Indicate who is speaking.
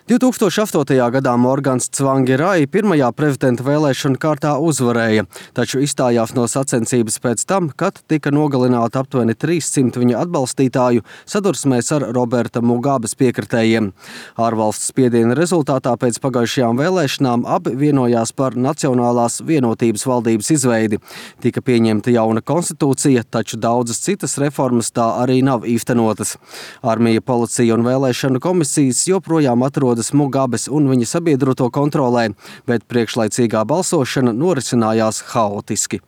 Speaker 1: 2008. gadā Morgans Tsvangirai pirmajā prezidenta vēlēšanu kārtā uzvarēja, taču izstājās no sacensības pēc tam, kad tika nogalināti aptuveni 300 viņa atbalstītāju sadursmēs ar Roberta Mugabes piekritējiem. Ārvalsts spiediena rezultātā pēc pagājušajām vēlēšanām abi vienojās par Nacionālās vienotības valdības izveidi. Tika pieņemta jauna konstitūcija, taču daudzas citas reformas tā arī nav īstenotas. Armija, policija un vēlēšanu komisijas joprojām atrodas Mugabes un viņa sabiedroto kontrolē, bet priekšlaicīgā balsošana norisinājās haotiski.